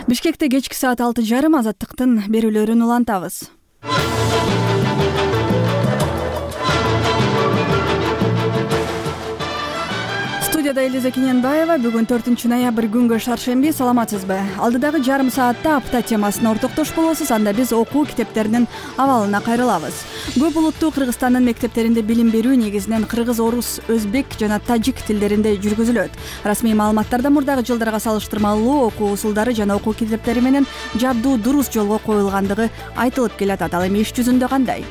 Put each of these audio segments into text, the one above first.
Бишкекте кечки саат 6:30 Азаттыктын берүүлөрүн улантабыз. Студияда Элиза Кененбаева. Бүгүн 4-ноябрь күнгө шаршемби. Саламатсызбы? Алдыдагы жарым саатта апта темасына ортоктош болосуз. Анда биз окуу китептеринин абалына кайрылабыз. Көп улуттуу Кыргызстандын мектептеринде билим берүү негизинен кыргыз, орус, өзбек жана тажик тилдеринде жүргүзүлөт. Расмий маалыматтарда мурдагы жылдарга салыштырмалуу окуу усулдары жана окуу китептери менен жабдуу дурус жолго коюлгандыгы айтылып келатат. Ал эми иш жүзүндө кандай?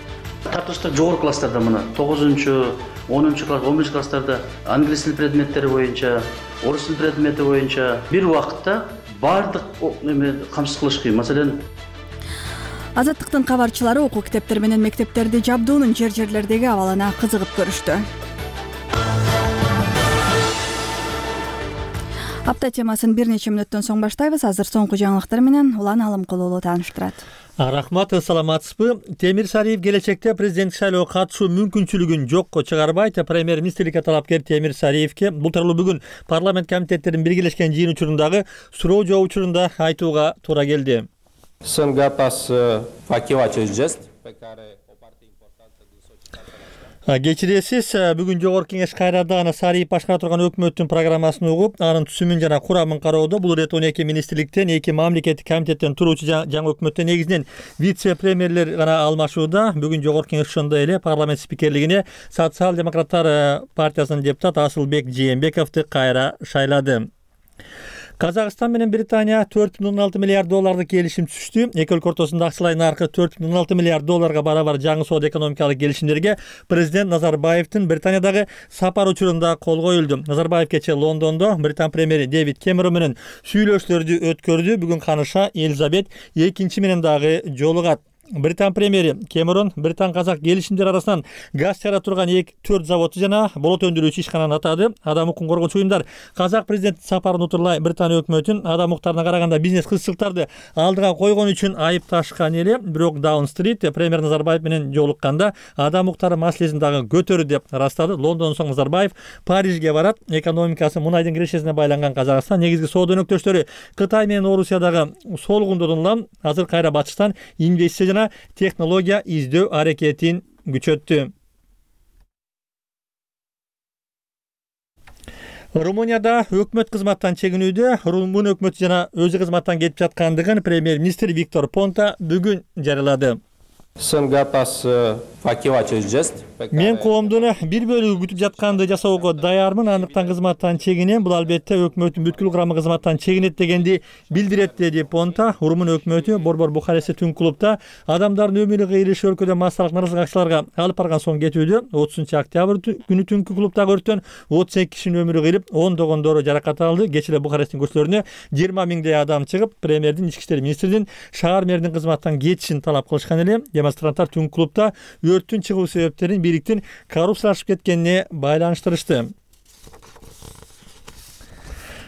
Тартышта жогорку класстарда мына 9-10 класс, 11 класстарда англис тил предметтери боюнча, орус тил предмети боюнча бир убакытта баардык камсыз кылыш кыйын. Маселен, Азаттыктын кабарчылары окуу китептери менен мектептерди жабдуунун жерлердеги абалына кызыгып көрүштү. Апта темасын бир нече мүнөттөн соң баштайбыз. Азыр соңку жаңылыктар менен Улан Алымкулуулу тааныштырат. Рахмат, саламатсызбы? Темир Сариев келечекте президенттик шайлоого катышуу мүмкүнчүлүгүн жокко чыгарбайт. Премьер-министрликке талапкер Темир Сариевке бул тууралуу бүгүн парламент комитеттеринин биргелешкен жыйын учурундагы суроо жооп учурунда айтууга туура келди. Кечиресиз, бүгүн жогорку кеңеш кайрада аны Сариев башкара турган өкмөттүн программасын угуп, анын түзүмүн жана курамын кароодо. Бул ирет 12 министрликтен, 2 мамлекеттик комитеттен туруучу жаңы өкмөттө негизинен вице-премьерлер гана алмашууда. Бүгүн жогорку кеңеш ошондой эле парламент спикерлигине социал-демократтар партиясынын депутаты Асылбек Жээнбековду кайра шайлады. Казакстан менен Британия 4,6 миллиард долларды келишим түзүштү. Эки өлкө ортосунда акчалай наркы 4,6 миллиард долларга барабар жаңы соода экономикалык келишимдерге президент Назарбаевдин Британиядагы сапар учурунда кол коюлду. Назарбаев кечээ Лондондо Британ премьери Дэвид Кэмерон менен сүйлөшүүлөрдү өткөрдү. Бүгүн каныша Элизабет экинчи менен дагы жолугат. Британ премьери Кэмерон Британ-казак келишимдер арасынан газ чыгара турган 4 заводду жана болот өндүрүүчү ишкананы атады. Адам укугун коргоочу уюмдар казак президенттин сапарын утурлай Британия өкмөтүн адам укуктарына караганда бизнес кызчылыктарды алдыга койгон үчүн айыпташкан эле. Бирок Даун-стрит премьер Назарбаев менен жолукканда адам укуктары маселесин дагы көтөрдү деп ырастады. Лондондон соң Назарбаев Парижге барат. Экономикасы мунайдын кирешесине байланган Казакстан негизги соода өнөктөштөрү Кытай менен Орусиядагы солгундодон улам азыр кайра батыштан инвестиция технология издөө аракетин күчөттү. Румынияда өкмөт кызматтан чегинүүдө. Румын өкмөтү жана өзү кызматтан кетип жаткандыгын премьер-министр Виктор Понта бүгүн жарыялады. Мен коомдун бир бөлүгү күтүп жатканды жасоого даярмын. Андыктан кызматтан чегинем. Бул албетте өкмөттүн бүткүл курамы кызматтан чегинет дегенди билдирет, деди Понта. Румын өкмөтү Борбор Бухарестте түнкү клубда адамдардын өмүрү кыйрылышы өлкөдө массалык нааразычылык акцияларга алып барган соң кетүүдө. 30-октябрь күнү түнкү клубдагы өрттөн 32 кишинин өмүрү кыйрылып, ондогондору жаракат алды. Кечээ эле Бухаресттин көчөлөрүнө 20 миңдей адам чыгып, премьердин, ички иштер министринин шаар мэринин кызматтан кетишин талап кылышкан эле. Демонстранттар түнкү клубда өрттүн чыгуу себептерин бийликтин коррупциялашып кеткенине байланыштырышты.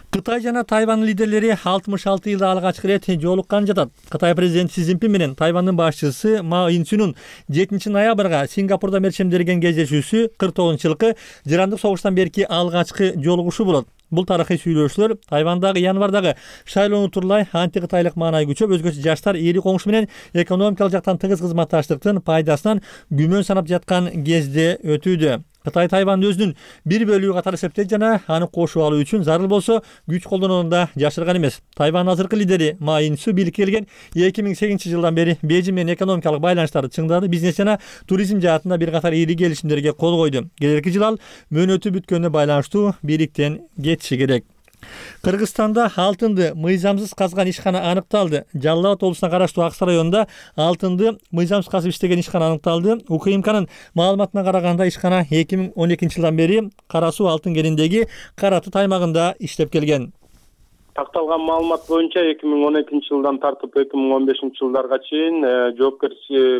Кытай жана Тайвань лидерлери 66 жылда алгачкы ирет жолуккан жатат. Кытай президенти Си Цзиньпин менен Тайвандын башчысы Ма Ин-сунун 7 ноябрга Сингапурда мерчемдерген кездешүүсү 49-жылкы жырандык согуштан берки алгачкы жолугушу болот. Бул тарыхый сүйлөшүүлөр Тайвандагы январдагы шайлоону турлай анти-кытайлык маанай күчөп, өзгөчө жаштар эри коңшу менен экономикалык жактан тыгыз кызматташтыктын пайдасынан күмөн санап жаткан кезде өтүүдө. Кытай Тайванды өзүнүн бир бөлүгү катары эсептейт жана аны кошуп алуу үчүн зарыл болсо күч колдонууну да жашырган эмес. Тайвандын азыркы лидери Ма Ин-су бийликке келген 2008 жылдан бери Бейжиң менен экономикалык байланыштарды чыңдады. Бизнес жана туризм жаатында бир катар ири келишимдерге кол койду. Келерки жыл ал мөөнөтү бүткөнүнө байланыштуу бийликтен кетиши керек. Кыргызстанда алтынды мыйзамсыз казган ишкана аныкталды. Жалал Абад облусуна караштуу Аксы районунда алтынды мыйзамсыз казып иштеген ишкана аныкталды. УКМКнын маалыматына караганда ишкана 2012 жылдан бери Кара Суу алтын кениндеги Каратут аймагында иштеп келген. Такталган маалымат боюнча 2012 жылдан тартып 2015 жылдарга чейин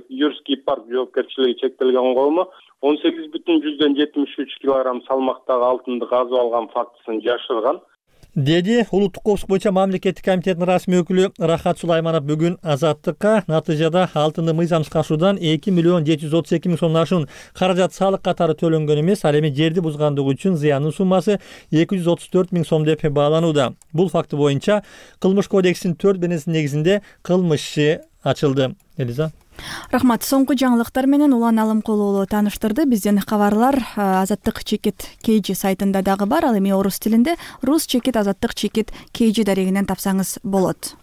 Юрский парк жоопкерчилиги чектелген коому 18,73 кг салмактагы алтынды казып алган фактысын жашырган. деди улуттук коопсуздук боюнча мамлекеттик комитеттин расмий өкүлү Рахат Сулайманов бүгүн Азаттыкка натыйжада алтынды мыйзам ышкашуудан 2 миллион 732 миң сомдон ашуун каражат салык катары төлөнгөн эмес, ал эми жерди бузгандыгы үчүн зыяндын суммасы 234 миң сом деп бааланууда. Бул факты боюнча Кылмыш кодексинин 4-бенесинин негизинде кылмыш иши ачылды. Элиза. Рахмат. Соңку жаңылыктар менен Улан Алымкулуулу тааныштырды. Бизден кабарлар Азаттык чекит KG сайтында дагы бар. Ал эми орус тилинде рус чекит азаттык чекит KG дарегинен тапсаңыз болот.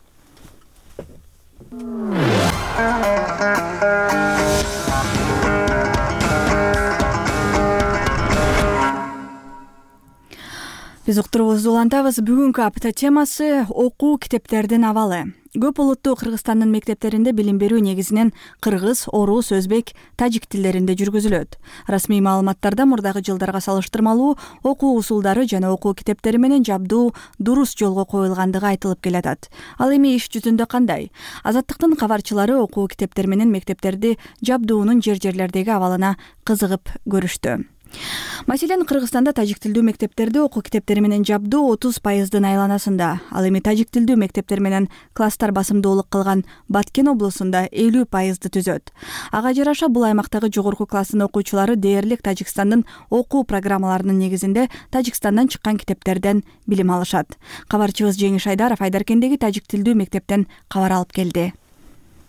Биз уктуруубузду улантабыз. Бүгүнкү апта темасы окуу китептердин абалы. Көп улуттуу Кыргызстандын мектептеринде билим берүү негизинен кыргыз, орус, өзбек, тажик тилдеринде жүргүзүлөт. Расмий маалыматтарда мурдагы жылдарга салыштырмалуу окуу усулдары жана окуу китептери менен жабдуу дурус жолго коюлгандыгы айтылып келатат. Ал эми иш жүзүндө кандай? Азаттыктын кабарчылары окуу китептер менен мектептерди жабдуунун жер-жерлердеги абалына кызыгып көрүштү. Маселен, Кыргызстанда тажик тилдүү мектептерди окуу китептери менен жабдуу 30% айланасында. Ал эми тажик тилдүү мектептер менен класстар басымдуулук кылган Баткен облусунда 50% түзөт. Ага жараша бул аймактагы жогорку класстын окуучулары дээрлик Тажикстандын окуу программаларынын негизинде Тажикстандан чыккан китептерден билим алышат. Кабарчыбыз Жеңиш Айдаров Айдаркендеги тажик тилдүү мектептен кабар алып келди.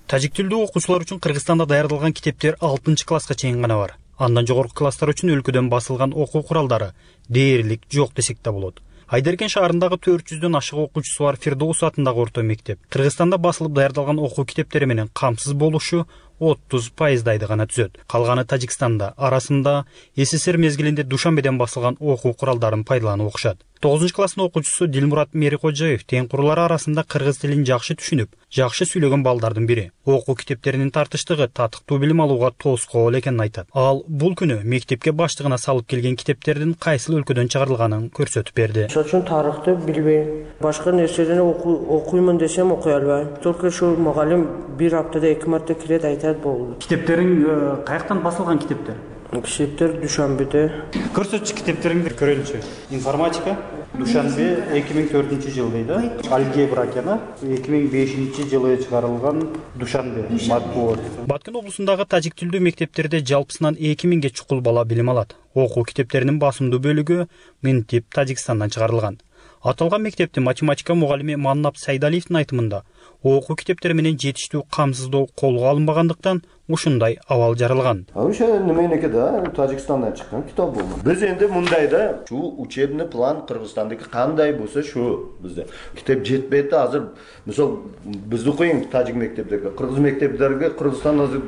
Тажик тилдүү окуучулар үчүн Кыргызстанда даярдалган китептер 6-класска чейин гана бар. Андан жогорку класстар үчүн өлкөдөн басылган окуу куралдары дээрлик жок десек да болот. Айдаркен шаарындагы 400дөн ашык окуучусу бар Фирдоус атындагы орто мектеп Кыргызстанда басылып даярдалган окуу китептери менен камсыз болушу 30% гана түзөт. Калганы Тажикстанда, арасында СССР мезгилинде Душанбеден басылган окуу куралдарын пайдаланып окушат. 9-класстын окуучусу Дилмурат Мерикожаев тең курулары арасында кыргыз тилин жакшы түшүнүп, жакшы сүйлөгөн балдардын бири. Окуу китептеринин тартыштыгы татыктуу билим алууга тоскоол экенин айтат. Ал бул күнү мектепке баштыгына салып келген китептердин кайсыл өлкөдөн чыгарылганын көрсөтүп берди. Ошон үчүн тарыхты билбейм. Башка нерселерди окуймун десем окуй албайм. Только ошо мугалим бир аптада 2 марта келет, айтат болду. Китептериң каяктан басылган китептер? Китептер Душанбеде. Көрсөтчү китептериңди көрөлүчү. Информатика Душанбе 2004-жыл дейди. Алгебра экени 2005-жылы чыгарылган Душанбе матбуот. Баткен облусундагы тажик тилдүү мектептерде жалпысынан 2000ге чукул бала билим алат. Окуу китептеринин басымдуу бөлүгү Мынтип Тажикстандан чыгарылган. Аталган мектептин математика мугалими Маннап Сайдалиевдин айтымында окуу китептери менен жетиштүү камсыздоо колго алынбагандыктан ушундай абал жаралган. Ошо неменеке да Тажикстандан чыккан китап бул. Биз энди мындай да шу учебный план Кыргызстандыкы кандай болсо шу бизде китеп жетпейт да азыр. Мисалы бизди коюң тажик мектептерге, кыргыз мектептерге Кыргызстан азыр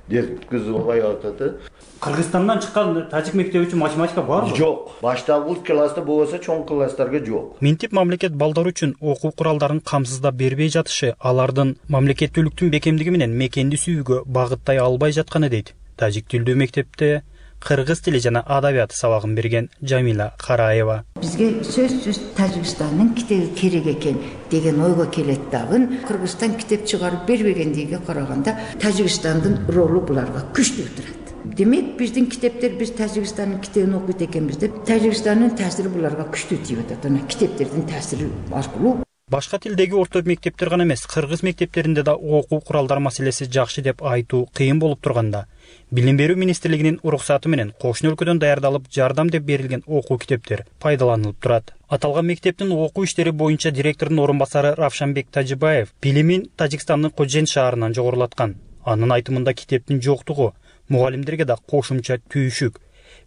деткиз албай атат. Кыргызстандан чыккан тажик мектеби үчүн математика барбы? Жок. Башталгы класста болсо чоң класстарга жок. Мынтип мамлекет балдар үчүн окуу куралдарын камсыздап бербей жатышы алардын мамлекеттүүлүктүн бекемдиги менен мекенди сүйүүгө багыттай албай жатканы дейт. Тажик тилдүү мектепте кыргыз тили жана адабияты сабагын берген Жамила Караева. Бизге сөзсүз Тажикстандын китеби керек экен деген ойго келет дагы. Кыргызстан китеп чыгарып бербегендиге караганда Тажикстандын ролу буларга күчтүү турат. Демек биздин китептер биз Тажикстандын китебин окуйт экенбиз деп Тажикстандын таасири буларга күчтүү тийип атат. Ана китептердин таасири аркылуу. Башка тилдеги орто мектептер гана эмес, кыргыз мектептеринде да окуу куралдар маселеси жакшы деп айтуу кыйын болуп турганда, Билим берүү министрлигинин уруксаты менен кошуна өлкөдөн даярдалып жардам деп берилген окуу китептер пайдаланылып турат. Аталган мектептин окуу иштери боюнча директордун орун басары Равшанбек Тажибаев билимин Тажикстандын Кожен шаарынан жогорулаткан. Анын айтымында китептин жоктугу мугалимдерге да кошумча түйүшүк.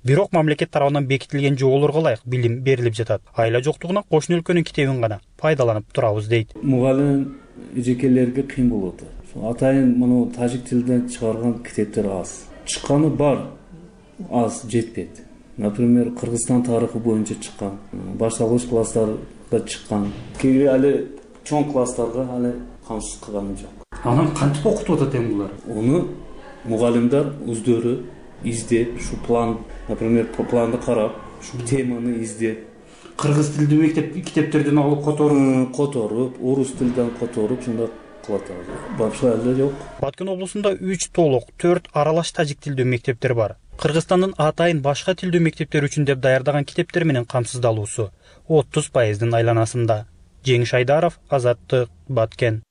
Бирок мамлекет тарабынан бекитилген жоболорго ылайык билим берилип жатат. Айла жоктугунан кошуна өлкөнүн китебин гана пайдаланып турабыз дейт. Мугалим эжекелерге кыйын болот. Атайын муну тажик тилинен чыгарган китептер аз. Чыкканы бар, аз жетпейт. Например, Кыргызстан тарыхы боюнча чыккан, башталгыч класстарга чыккан. Кийинки али чоң класстарга али камсыз кылганы жок. Анан кантип окутуп атат эми булар? Уну мугалимдер өздөрү издеп, шу план, например, планды карап, шу теманы издеп, кыргыз тилдүү мектеп китептерден алып которуп, орус тилден которуп, шундай кылат. Башка эле жок. Баткен облусунда 3 толук, 4 аралаш тажик тилдүү мектептер бар. Кыргызстандын атайын башка тилдүү мектептер үчүн деп даярдаган китептер менен камсыздалуусу 30% айланасында. Жеңиш Айдаров, Азаттык, Баткен.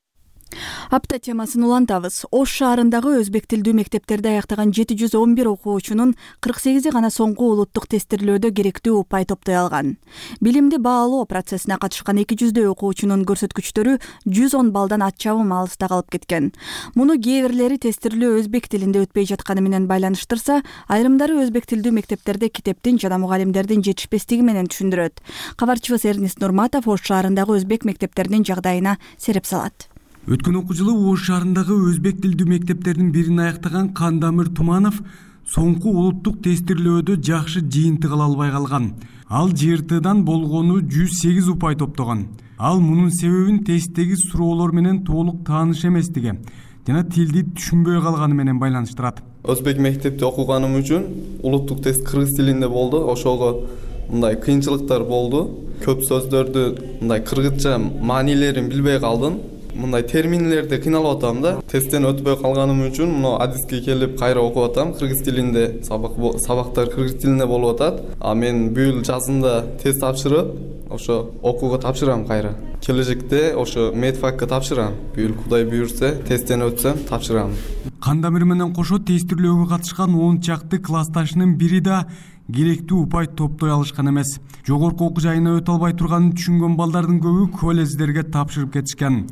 Апта темасын улантабыз. Ош шаарындагы өзбек тилдүү мектептерде аяктаган 711 окуучунун 48 гана соңку улуттук тестирлөөдө керектүү упай топтой алган. Билимди баалоо процессине катышкан 200 окуучунун көрсөткүчтөрү 110 балдан атчабым алыста калып кеткен. Муну кээ бирлери тестирлөө өзбек тилинде өтпөй жатканы менен байланыштырса, айрымдары өзбек тилдүү мектептерде китептин жана мугалимдердин жетишпестиги менен түшүндүрөт. Кабарчыбыз Эрнест Нурматов Ош шаарындагы өзбек мектептеринин жагдайына сереп салат. Өткөн окуу жылы Ош шаарындагы өзбек тилдүү мектептердин бирин аяктаган Кандамир Туманов соңку улуттук тестирлөөдө жакшы жыйынтык ала албай калган. Ал ЖРТдан болгону 108 упай топтогон. Ал мунун себебин тесттеги суроолор менен толук тааныш эместиги жана тилди түшүнбөй калганы менен байланыштырат. Өзбек мектепте окуганым үчүн улуттук тест кыргыз тилинде болду. Ошого мындай кыйынчылыктар болду. Көп сөздөрдү мындай кыргызча маанилерин билбей калдым. Мындай терминдерди кыйналып атам да. Тесттен өтпөй калганым үчүн мына адиске келип кайра окуп атам. Кыргыз тилинде сабактар кыргыз тилинде болуп атат. А мен бүйүл жазында тест тапшырып, ошо окууга тапшырам кайра. Келечекте ошо медфакка тапшырам. Бүйүл Кудай буйрса, тесттен өтсөм тапшырам. Кандамир менен кошо тестирлөөгө катышкан 10 чакты классташынын бири да керектүү упай топтой алышкан эмес. Жогорку окуу жайына өтө албай турганын түшүнгөн балдардын көбү колледждерге тапшырып кетишкен.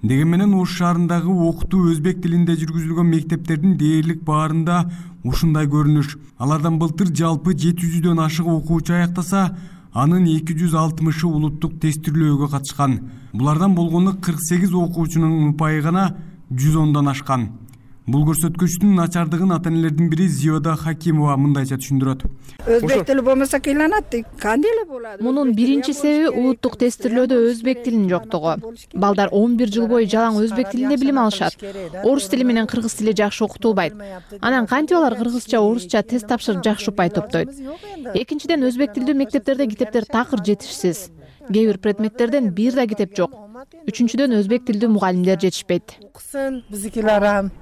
Деген менен Ош шаарындагы окутуу өзбек тилинде жүргүзүлгөн мектептердин дээрлик баарында ушундай көрүнүш. Алардан былтыр жалпы 700дөн ашык окуучу аяктаса, анын 260 улуттук тестирлөөгө катышкан. Булардан болгону 48 окуучунун упайы гана 110дан ашкан. Бул көрсөткүчтүн начардыгын ата-энелердин бири Зиода Хакимова мындайча түшүндүрөт. Өзбек тили болмосо кыйланат. Кандай эле болот? Мунун биринчи себеби улуттук тестирлөөдө өзбек тилинин жоктугу. Балдар 11 жыл бою жалаң өзбек тилинде билим алышат. Орус тили менен кыргыз тили жакшы окутулбайт. Анан кантип алар кыргызча, орусча тест тапшырып жакшы упай топтойт? Экинчиден, өзбек тилдүү мектептерде китептер такыр жетишсиз. Кээ бир предметтерден бир да китеп жок. Үчүнчүдөн, өзбек тилдүү мугалимдер жетишпейт.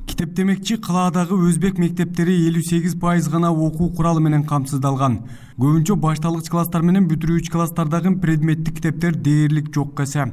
Китеп демекчи, калаадагы өзбек мектептери 58% гана окуу куралы менен камсыздалган. Көбүнчө башталгыч класстар менен бүтүрүүчү класстардагы предметтик китептер дээрлик жок эсе.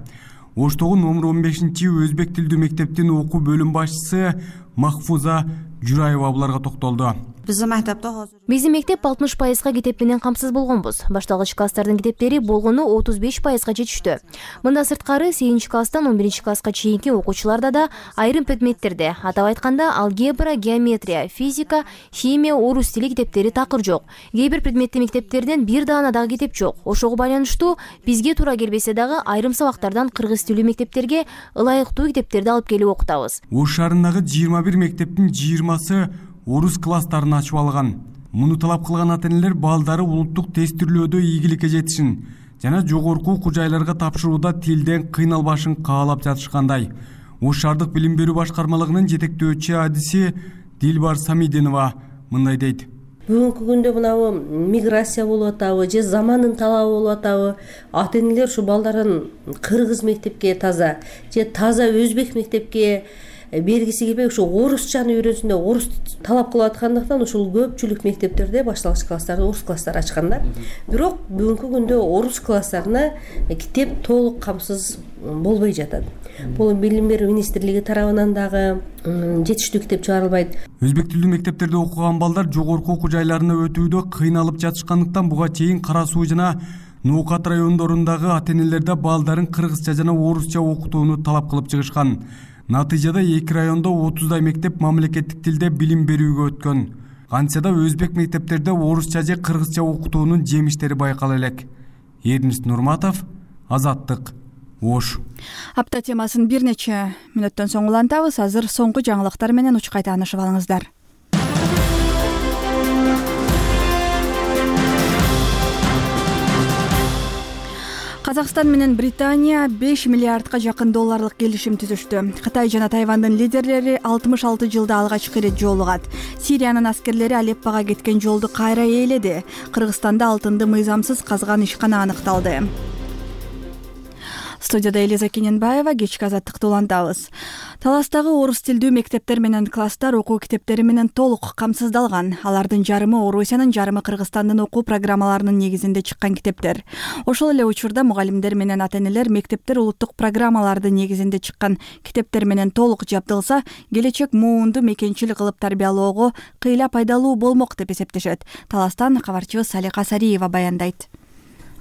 Оштогу номер 15 өзбек тилдүү мектептин окуу бөлүм башчысы Махфуза Жураева буларга токтолду. Биздин мектеп 60%га китеп менен камсыз болгонбуз. Башталгыч класстардын китептери болгону 35%га жетиштүү. Мында сырткары 8 класстан 11 класска чейинки окуучуларда да айрым предметтерде, атап айтканда алгебра, геометрия, физика, химия, орус тили китептери такыр жок. Кээ бир предметтик мектептерден бир даана дагы китеп жок. Ошого байланыштуу бизге туура келбесе дагы айрым сабактардан кыргыз тилдүү мектептерге ылайыктуу китептерди алып келип окутабыз. Ош шаарындагы 21 мектептин 20сы орус класстарын ачып алган. Муну талап кылган ата-энелер балдары улуттук тестирлөөдө ийгиликке жетишин жана жогорку окуу жайларга тапшырууда тилден кыйналбашын каалап жатышкандай. Ош шаардык билим берүү башкармалыгынын жетектөөчү адиси Дилбар Самидинова мындай дейт. Бүгүнкү күндө мынабу миграция болуп атабы же замандын талабы болуп атабы, ата-энелер ушу балдарын кыргыз мектепке таза же таза өзбек мектепке бергиси келбей ушу орусчаны үйрөнсүн деп орус талап кылып аткандыктан ушул көпчүлүк мектептерде башталгыч класстарда орус класстар ачкандар. Бирок бүгүнкү күндө орус класстарына китеп толук камсыз болбой жатат. Бул билим берүү министрлиги тарабынан дагы жетиштүү китеп чыгарылбайт. Өзбек тилдүү мектептерде окуган балдар жогорку окуу жайларына өтүүдө кыйналып жатышкандыктан буга чейин Кара Суу жана Ноокат райондорундагы ата-энелерде балдарын кыргызча жана орусча окутууну талап кылып чыгышкан. Натыйжада 2 райондо 30дай мектеп мамлекеттик тилде билим берүүгө өткөн. Кантса да өзбек мектептерде орусча же кыргызча окутуунун жемиштери байкала элек. Эрнест Нурматов, Азаттык, Ош. Апта темасын бир нече мүнөттөн соң улантабыз. Азыр соңку жаңылыктар менен учкай таанышып алыңыздар. Казакстан менен Британия 5 миллиардка жакын долларлык келишим түзүштү. Кытай жана Тайвандын лидерлери 66 жылда алгачкы ирет жолугат. Сириянын аскерлери Алеппого кеткен жолду кайра ээледи. Кыргызстанда алтынды мыйзамсыз казган ишкана аныкталды. Студияда Элиза Кененбаева, кечки азаттыкты улантабыз. Таластагы орус тилдүү мектептер менен класстар окуу китептери менен толук камсыздалган. Алардын жарымы Орусиянын, жарымы Кыргызстандын окуу программаларынын негизинде чыккан китептер. Ошол эле учурда мугалимдер менен ата-энелер мектептер улуттук программалардын негизинде чыккан китептер менен толук жабдылса, келечек муунду мекенчил кылып тарбиялоого кыйла пайдалуу болмок деп эсептешет. Таластан кабарчыбыз Салика Сариева баяндайт.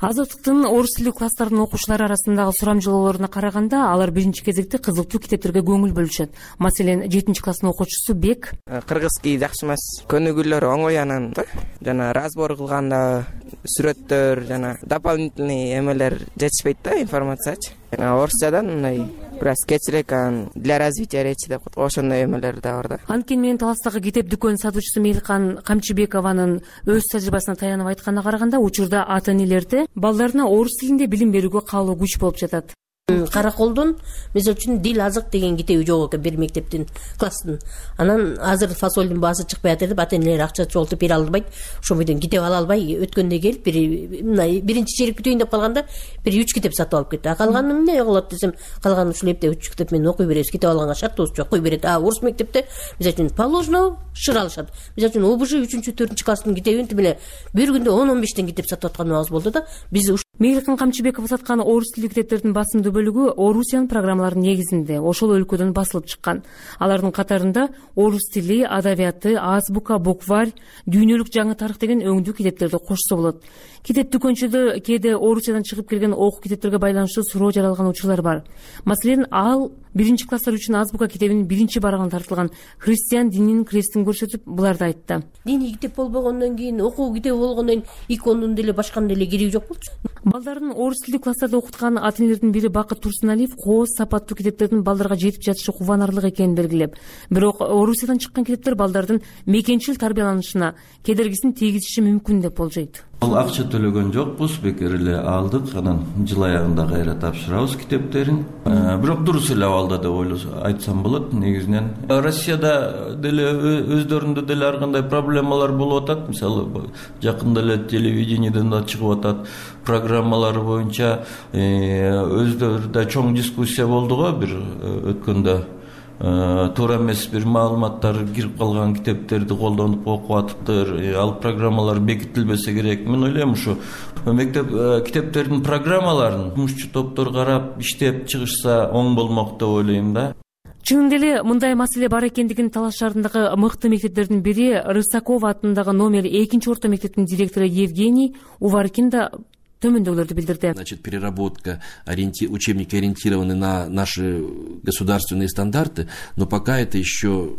Азаттыктын орус тилдүү класстардын окуучулары арасындагы сурамжылоолоруна караганда, алар биринчи кезекте кызыктуу китептерге көңүл бөлүшөт. Маселен, 7-класстын окуучусу Бек кыргызский жакшы эмес, көнүгүүлөр оңой анан жана разбор кылганда сүрөттөр жана дополнительный эмелер жетишпейт да, информациячы. Орусчадан мындай бираз кечирээк для развития речи деп ошондой эмелер да бар да. Анткени менен Таластагы китеп дүкөнүнүн сатуучусу Меликан Камчыбекованын өз тажрыйбасына таянып айтканына караганда, учурда ата-энелерде балдарына орус тилинде билим берүүгө каалоо күч болуп жатат. Караколдун мисалы үчүн дил азык деген китеби жок экен бир мектептин класстын. Анан азыр фасолдун баасы чыкпай атат деп ата-энелер акча чогултуп бере албайт. Ошол бойдон китеп ала албай өткөндө келип биринчи черек бүтөйүн деп калганда бир 3 китеп сатып алып кетти. Калганы эмне кылат десем, калганы ушул эпте 3 китеп менен окуй беребиз. Китеп алганга шартыбыз жок, окуй берет. Орус мектепте мисалы үчүн положено шыр алышат. Мисалы үчүн ОБЖ 3-4 класстын китебин тимеле бир күндө 10-15 китеп сатып атканыбыз болду да. Биз Меликан Камчыбеков саткан орус тилдүү китептердин басымдуу бөлүгү Орусиянын программаларынын негизинде ошол өлкөдөн басылып чыккан. Алардын катарында орус тили, адабияты, азбука, букварь, дүйнөлүк жаңы тарых деген өңдүү китептерди кошсо болот. Китеп дүкөнчүдө кээде Орусиядан чыгып келген окуу китептерге байланыштуу суроо жаралган учурлар бар. Маселен, ал 1-класстар үчүн азбука китебинин биринчи барагына тартылган христиан дининин крестин көрсөтүп, буларды айтты. Диний китеп болбогондон кийин, окуу китеби болгондон кийин икондун деле башканын деле кереги жок болчу. Балдарын орус тилдүү класстарда окуткан ата-энелердин бири Бакыт Турсуналиев кооз сапаттуу китептердин балдарга жетип жатышы кубанарлык экенин белгилеп, бирок Орусиядан чыккан китептер балдардын мекенчил тарбияланышына кедергисин тийгизиши мүмкүн деп болжойт. Ал акча төлөгөн жокпуз, бекер эле алдык, анан жыл аягында кайра тапшырабыз китептерин. Бирок дурус эле абалда деп айтсам болот. Негизинен Россияда деле өздөрүндө деле ар кандай проблемалар болуп атат. Мисалы, жакында эле телевидениеден да чыгып атат, программалары боюнча өздөрүндө чоң дискуссия болду го бир өткөндө. Туура эмес бир маалыматтар кирип калган китептерди колдонуп окуп атыптыр. Ал программалар бекитилбесе керек. Мен ойлойм, ушу мектеп китептердин программаларын жумушчу топтор карап, иштеп чыгышса оң болмок деп ойлойм да. Чынында эле мындай маселе бар экендигин Талас шаарындагы мыкты мектептердин бири Рысакова атындагы номер 2 орто мектептин директору Евгений Уваркин да төмөндөгүлөрдү билдирди. Значит, переработка, учебники ориентированы на наши государственные стандарты, но пока это еще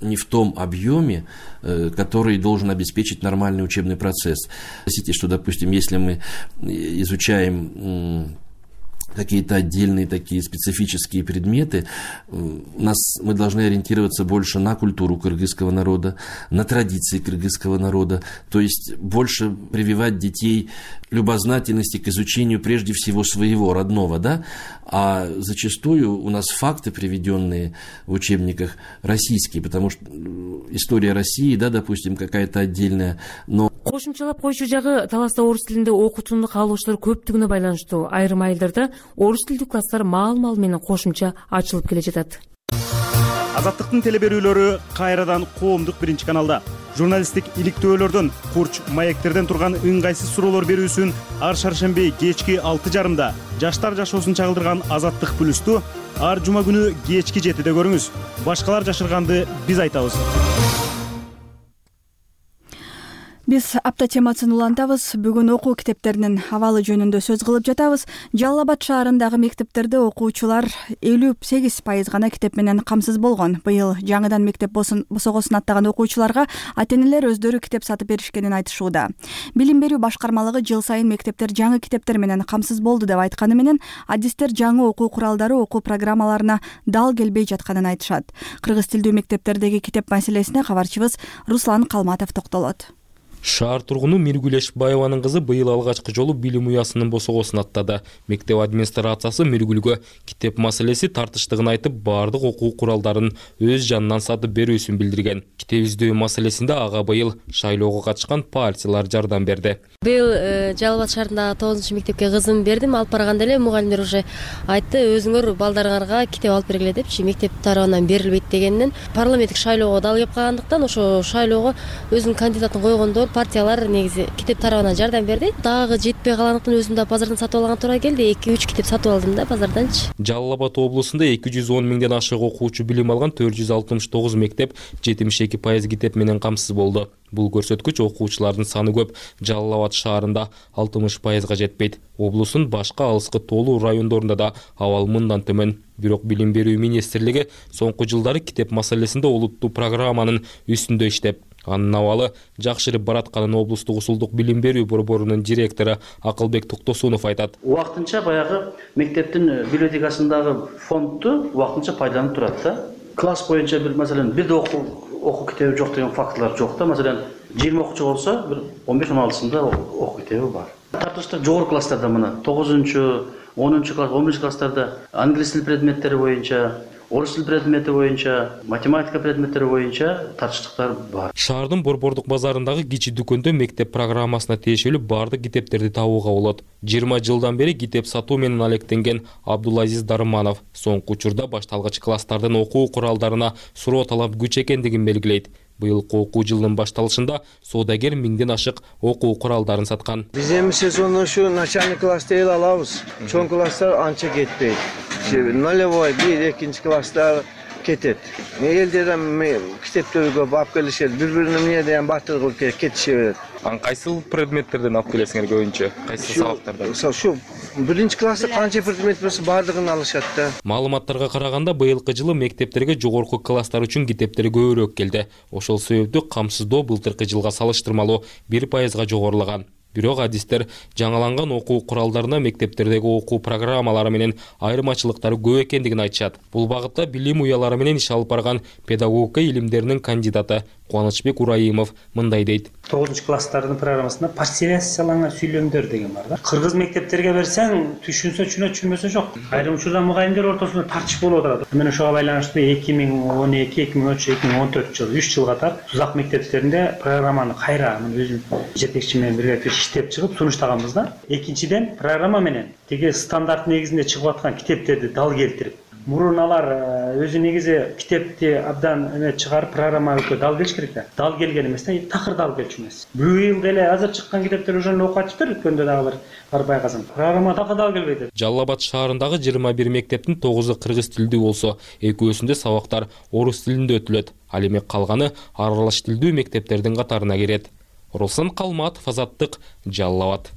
не в том объеме, который должен обеспечить нормальный учебный процесс. Простите, что, допустим, если мы изучаем какие-то отдельные такие специфические предметы, мы должны ориентироваться больше на культуру кыргызского народа, на традиции кыргызского народа, то есть больше прививать детей любознательности к изучению прежде всего своего родного, да, а зачастую у нас факты, приведенные в учебниках, российские, потому что история России, да, допустим, какая-то отдельная, но кошумчалап койчу жагы Таласта орус тилинде окутууну каалоочулар көптүгүнө байланыштуу. Айрым айылдарда орус тилдүү класстар маал менен кошумча ачылып келе жатат. Азаттыктын телеберүүлөрү кайрадан коомдук биринчи каналда. Журналисттик иликтөөлөрдөн, курч маектерден турган ыңгайсыз суроолор берүүсүн ар шаршемби кечки 6:30 жаштар жашоосун чагылдырган Азаттык плюсту ар жума күнү кечки 7-де көрүңүз. Башкалар жашырганды биз айтабыз. Биз апта темасын улантабыз. Бүгүн окуу китептеринин абалы жөнүндө сөз кылып жатабыз. Жалал Абад шаарындагы мектептерде окуучулар 58% гана китеп менен камсыз болгон. Быйыл жаңыдан мектеп босогосун аттаган окуучуларга ата-энелер өздөрү китеп сатып беришкенин айтышууда. Билим берүү башкармалыгы жыл сайын мектептер жаңы китептер менен камсыз болду деп айтканы менен, адистер жаңы окуу куралдары окуу программаларына дал келбей жатканын айтышат. Кыргыз тилдүү мектептердеги китеп маселесине кабарчыбыз Руслан Калматов токтолот. Шаар тургуну Миргүл Эшбаеванын кызы быйыл алгачкы жолу билим уясынын босогосун аттады. Мектеп администрациясы Миргүлгө китеп маселеси тартыштыгын айтып, бардык окуу куралдарын өз жанынан сатып берүүсүн билдирген. Китеп издөө маселесинде ага быйыл шайлоого катышкан партиялар жардам берди. Быйыл Жалал Абад шаарындагы 9 мектепке кызым бердим. Алып барганда эле мугалимдер уже айтты, өзүңөр балдарыңарга китеп алып бергиле депчи, мектеп тарабынан берилбейт дегенден парламенттик шайлоого дал кеп калгандыктан ошо шайлоого өзүнүн кандидатын койгондо партиялар негизи китеп тарабынан жардам берди. Дагы жетпей калгандыктан өзүм да базардан сатып алган туура келди. 2-3 китеп сатып алдым да базарданчы. Жалал Абад облусунда 210 миңден ашык окуучу билим алган 469 мектеп 72% китеп менен камсыз болду. Бул көрсөткүч окуучулардын саны көп. Жалал Абад шаарында 60%га жетпейт. Облустун башка алыскы тоолуу райондорунда да абал мындан төмөн. Бирок Билим берүү министрлиги соңку жылдары китеп маселесинде олуттуу программанын үстүндө иштеп, анын абалы жакшырып баратканын облустук усулдук билим берүү борборунун директору Акылбек Токтосунов айтат. Убактынча баягы мектептин библиотекасындагы фондду убактынча пайдаланып турат да. Класс боюнча бир маселен бирде окуу китеби жок деген фактылар жок да. Маселен 20 окуучу болсо бир 15-16сында окуу китеби бар. Тартыштык жогорку класстарда мына 9-10 класс, 11 класстарда англис тил предметтери боюнча, орус тил предмети боюнча, математика предметтери боюнча тартыштыктар бар. Шаардын борбордук базарындагы кичи дүкөндө мектеп программасына тиешелүү бардык китептерди табууга болот. 20 жылдан бери китеп сатуу менен алектенген Абдулазиз Дарманов соңку учурда башталгыч класстардын окуу куралдарына суроо талап күч экендигин белгилейт. Быйылкы окуу жылынын башталышында соодагер 1000ден ашык окуу куралдарын саткан. Биз эми сезонно ушу начальный класста эл алабыз. Чоң класстар анча кетпейт. Нулевой 1-2 класстар кетет. Элдерден китептерди көп алып келишет. Бири-бирине эмне деген батыр кылып кетише берет. Кайсыл предметтерден алып келесиңер көбүнчө? Кайсы сабактардан? Ушу биринчи класста канча предмет болсо бардыгын алышат да. Маалыматтарга караганда быйылкы жылы мектептерге жогорку класстар үчүн китептер көбүрөөк келди. Ошол себептүү камсыздоо былтыркы жылга салыштырмалуу 1%га жогорулаган. Бирок адистер жаңаланган окуу куралдарына мектептердеги окуу программалары менен айырмачылыктары көп экендигин айтышат. Бул багытта билим уялары менен иш алып барган педагогика илимдеринин кандидаты Кубанычбек Урайымов мындай дейт. 9-класстардын программасында партияланган сүйлөмдөр деген бар да. Кыргыз мектептерге берсең, түшүнсө түшүнөт, түшүнбөсө жок. Айрым учурда мугалимдер ортосунда тартыш болуп отурат. Мен ошого байланыштуу 2012, 2013, 2014 жыл 3 жыл катар Тузак мектептеринде программаны кайра өзүм жетекчи менен бирге иштеп чыгып сунуштаганбыз да. Экинчиден программа менен тиги стандарт негизинде чыгып аткан китептерди дал келтирип, мурун алар өзү негизи китепти абдан чыгарып программага дал келиш керек да. Дал келген эмес да, такыр дал келчү эмес. Быйыл деле азыр чыккан китептер уже окуп атыптыр, өткөндө дагы бар байказым. Программа такыр дал келбейт. Жалал Абад шаарындагы 21 мектептин 9-ы кыргыз тилдүү болсо, экөөсүндө сабактар орус тилинде өтүлөт. Ал эми калганы аралаш тилдүү мектептердин катарына кирет. Руслан Калматов, Азаттык, Жалал Абад.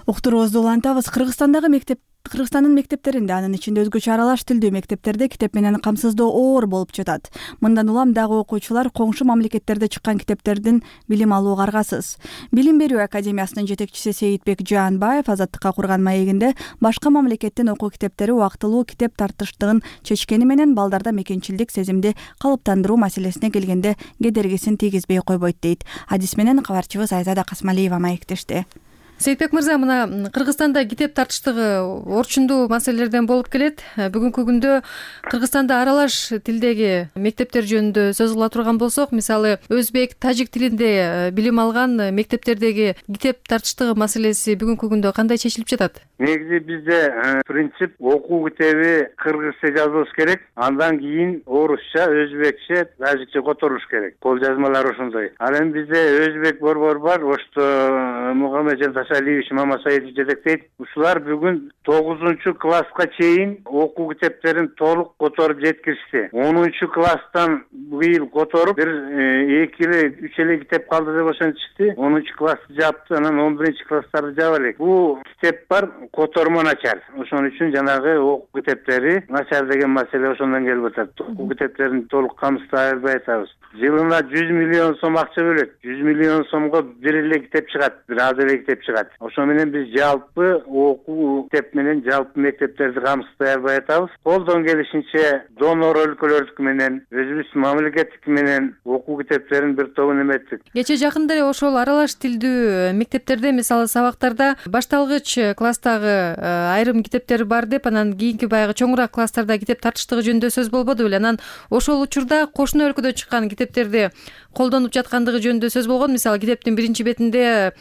Уктуруубузду улантабыз. Кыргызстандын мектептеринде, анын ичинде өзгөчө аралаш тилдүү мектептерде китеп менен камсыздоо оор болуп жатат. Мындан улам дагы окуучулар коңшу мамлекеттерде чыккан китептердин билим алууга аргасыз. Билим берүү академиясынын жетекчиси Сейитбек Жаанбаев Азаттыкка курган маегинде башка мамлекеттин окуу китептери убактылуу китеп тартыштыгын чечкени менен балдарда мекенчилдик сезимди калыптандыруу маселесине келгенде кедергисин тийгизбей койбойт дейт. Адис менен кабарчыбыз Айзада Касмалиева маектешти. Сейитбек мырза, мына Кыргызстанда китеп тартыштыгы орчундуу маселелерден болуп келет. Бүгүнкү күндө Кыргызстанда аралаш тилдеги мектептер жөнүндө сөз кыла турган болсок, мисалы өзбек, тажик тилинде билим алган мектептердеги китеп тартыштыгы маселеси бүгүнкү күндө кандай чечилип жатат? Негизи бизде принцип окуу китеби кыргызча жазылыш керек, андан кийин орусча, өзбекче, тажикче которуш керек. Кол жазмалар ошондой. Ал эми бизде өзбек борбор бар, ошто Мухаммеджан Алиевич Мамасаевич жетектейт. Ушулар бүгүн 9-класска чейин окуу китептерин толук которуп жеткиришти. 10-класстан быйыл которуп, бир 2-3 эле китеп калды деп ошентишти. 10-классты жапты, анан 11-класстарды жаба элек. Бул китеп бар, котормо начар. Ошон үчүн жанагы окуу китептери начар деген маселе ошондон келип атат. Окуу китептерин толук камсыздай албай атабыз. Жылына 100 миллион сом акча бөлөт. 100 миллион сомго бир эле китеп чыгат, бир аз эле китеп чыгат. турат. Ошо менен биз жалпы окуу китеп менен жалпы мектептерди камсыздай албай атабыз. Колдон келишинче донор өлкөлөрдүкү менен, өзүбүздүн мамлекеттики менен окуу китептерин бир тобун эметтик. Кече жакында эле ошол аралаш тилдүү мектептерде, мисалы сабактарда башталгыч класстагы айрым китептер бар деп, анан кийинки баягы чоңураак класстарда китеп тартыштыгы жөнүндө сөз болбоду беле? Анан ошол учурда кошуна өлкөдө чыккан китептерди колдонуп жаткандыгы жөнүндө сөз болгон. Мисалы китептин биринчи бетинде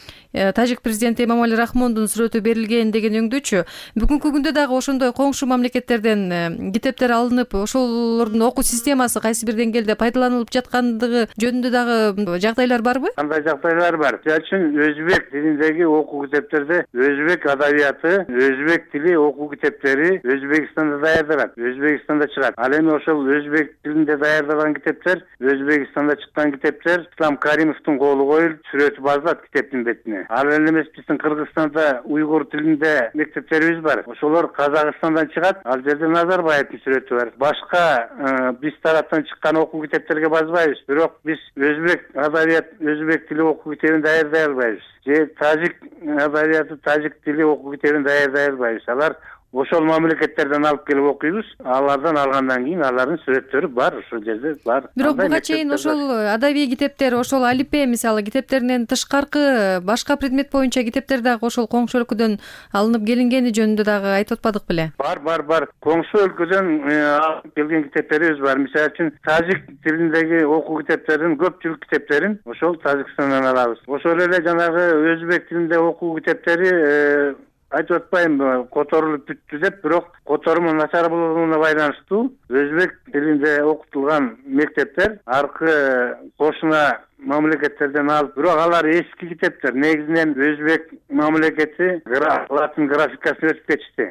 тажик президенти Эмомали Рахмондун сүрөтү берилген деген өңдөчү. Бүгүнкү күндө дагы ошондой коңшу мамлекеттерден китептер алынып, ошолордун окуу системасы кайсы бир деңгээлде пайдаланылып жаткандыгы жөнүндө дагы жагдайлар барбы? Кандай жагдайлар бар? Мисалы үчүн өзбек тилиндеги окуу китептерде өзбек адабияты, өзбек тили окуу китептери Өзбекстанда даярдалат, Өзбекстанда чыгат. Ал эми ошол өзбек тилинде даярдалган китептер, Өзбекстанда чыккан китептер Ислам Каримовдун колу коюлуп, сүрөтү басылат китептин бетине. Ал эле эмес, биздин Кыргызстанда уйгур тилинде мектептерибиз бар. Ошолор Казакстандан чыгат, ал жерде Назарбаевдин сүрөтү бар. Башка биз тараптан чыккан окуу китептерге базбайбыз, бирок биз өзбек адабият, өзбек тили окуу китебин даярдай албайбыз. Же тажик адабияты, тажик тили окуу китебин даярдай албайбыз. Алар ошол мамлекеттерден алып келип окуйбуз. Алардан алгандан кийин алардын сүрөттөрү бар, ошол жерде бар. Бирок буга чейин ошол адабий китептер, ошол алипе мисалы китептеринен тышкаркы башка предмет боюнча китептер дагы ошол коңшу өлкөдөн алынып келингени жөнүндө дагы айтып атпадык беле? Бар. Коңшу өлкөдөн алып келген китептерибиз бар. Мисалы үчүн тажик тилиндеги окуу китептердин көпчүлүк китептерин ошол Тажикстандан алабыз. Ошол эле жанагы өзбек тилинде окуу китептери айтып атпайм которулуп бүттү деп, бирок которуму начар болгонуна байланыштуу өзбек тилинде окутулган мектептер аркы кошуна мамлекеттерден алып, бирок алар эски китептер. Негизинен өзбек мамлекети латын графикасына өтүп кетишти.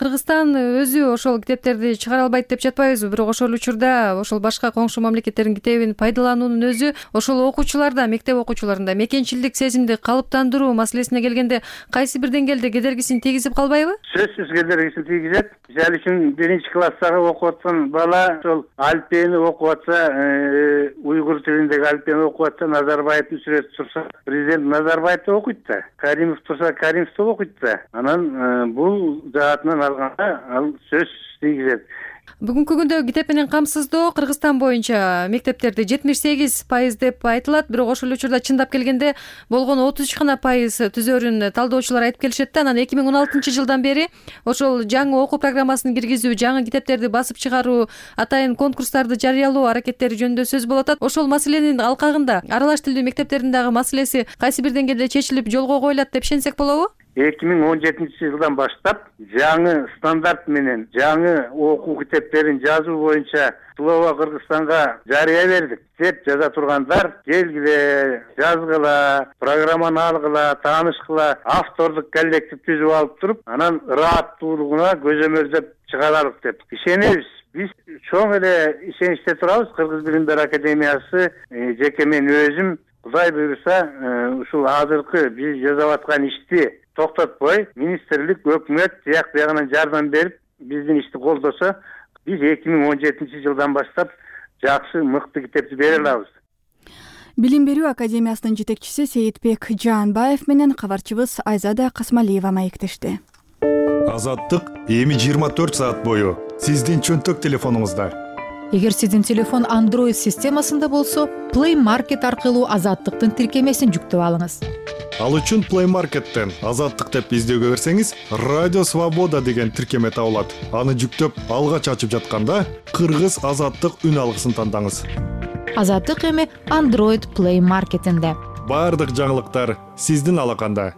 Кыргызстан өзү ошол китептерди чыгара албайт деп жатпайбызбы? Бирок ошол учурда ошол башка коңшу мамлекеттердин китебин пайдалануунун өзү ошол окуучуларда, мектеп окуучуларында мекенчилдик сезимди калыптандыруу маселесине келгенде кайсы бир деңгээлде кедергисин тийгизип калбайбы? Сөзсүз кедергисин тийгизет. Мисалы үчүн биринчи класстагы окуп аткан бала ошол алфени окуп атса, уйгур тилиндеги алфени окуп атса, Назарбаевдин сүрөтү турса, президент Назарбаевди окуйт да. Каримов турса, Каримовди окуйт да. Анан бул жаатынан алганда ал сөзсүз тийгизет. Бүгүнкү күндө китеп менен камсыздоо Кыргызстан боюнча мектептерде 78% деп айтылат, бирок ошол учурда чындап келгенде болгон 33% түзөрүн талдоочулар айтып келишет да. Анан 2016-жылдан бери ошол жаңы окуу программасын киргизүү, жаңы китептерди басып чыгаруу, атайын конкурстарды жарыялоо аракеттери жөнүндө сөз болуп атат. Ошол маселенин алкагында аралаш тилдүү мектептердин дагы маселеси кайсы бир деңгээлде чечилип жолго коюлат деп ишенсек болобу? 2017-жылдан баштап жаңы стандарт менен жаңы окуу китептерин жазуу боюнча Слово Кыргызстанга жарыя бердик. Деп жаза тургандар келгиле, жазгыла, программаны алгыла, таанышкыла, автордук коллектив түзүп алып туруп, анан ырааттуулугуна көзөмөлдөп чыгаралык деп ишенебиз. Биз чоң эле ишеничте турабыз. Кыргыз билим берүү академиясы, жеке мен өзүм, Кудай буйруса, ушул азыркы биз жасап аткан ишти токтотпой, министрлик, өкмөт тияк биягынан жардам берип, биздин ишти колдосо, биз 2017-жылдан баштап жакшы, мыкты китепти бере алабыз. Билим берүү академиясынын жетекчиси Сейитбек Жаанбаев менен кабарчыбыз Айзада Касмалиева маектешти. Азаттык эми 24 саат бою сиздин чөнтөк телефонуңузда. Эгер сиздин телефон Android системасында болсо, Play Market аркылуу Азаттыктын тиркемесин жүктөп алыңыз. Ал үчүн Play Market'тен Азаттык деп издөөгө кирсеңиз, Радио Свобода деген тиркеме табылат. Аны жүктөп, алгач ачып жатканда Кыргыз Азаттык үн алгысын тандаңыз. Азаттык эми Android Play Market'инде. Бардык жаңылыктар сиздин алаканда.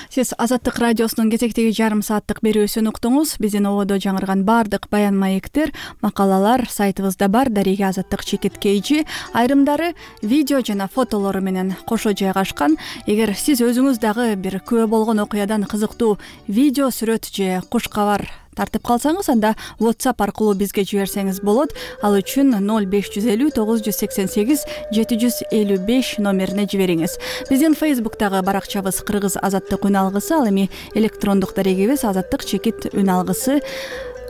Сиз Азаттык радиосунун кезектеги жарым сааттык берүүсүн уктуңуз. Биздин ободо жаңырган бардык баян маектер, макалалар сайтыбызда бар. Дареге Азаттык чекит KG, айрымдары видео жана фотолору менен кошо жайгашкан. Эгер сиз өзүңүз дагы бир күбө болгон окуядан кызыктуу видео, сүрөт же куш кабар тартып калсаңыз, анда WhatsApp аркылуу бизге жиберсеңиз болот. Ал үчүн 0550 988 755 номерине жибериңиз. Биздин Facebook'тагы баракчабыз Кыргыз Азаттык үн алгысы, ал эми электрондук дарегибиз Азаттык чекит үн алгысы.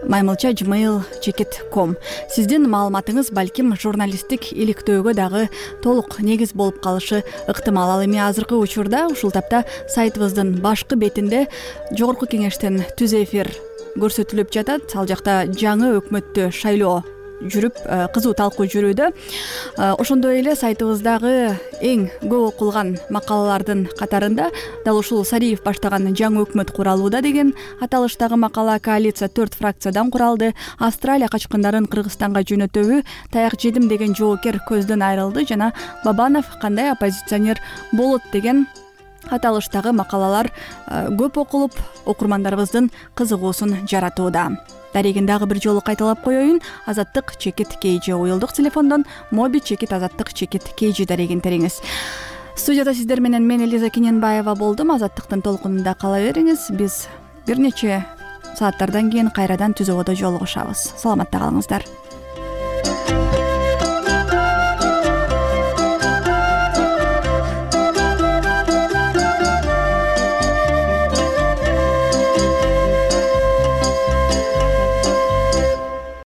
@gmail.com. Сиздин маалыматыңыз балким журналисттик иликтөөгө дагы толук негиз болуп калышы ыктымал. Ал эми азыркы учурда ушул тапта сайтыбыздын башкы бетинде жогорку кеңештен түз эфир көрсөтүлүп жатат. Ал жакта жаңы өкмөттү шайлоо жүрүп, кызуу талкуу жүрүүдө. Ошондой эле сайтыбыздагы эң көп окулган макалалардын катарында дал ушул Сариев баштаган жаңы өкмөт куралууда деген аталыштагы макала, коалиция 4 фракциядан куралды, Австралия качкындарын Кыргызстанга жөнөтөбү, таяк жедим деген жоокер көздөн айрылды жана Бабанов кандай оппозиционер болот деген аталыштагы макалалар көп окулуп, окурмандарыбыздын кызыгуусун жаратууда. Дарегин дагы бир жолу кайталап коеюн. Азаттык чекит KG уюлдук телефондон моби чекит азаттык чекит KG дарегин териңиз. Студияда сиздер менен мен Элиза Кененбаева болдум. Азаттыктын толкунунда кала бериңиз. Биз бир нече сааттардан кийин кайрадан түз абада жолугушабыз. Саламатта калыңыздар.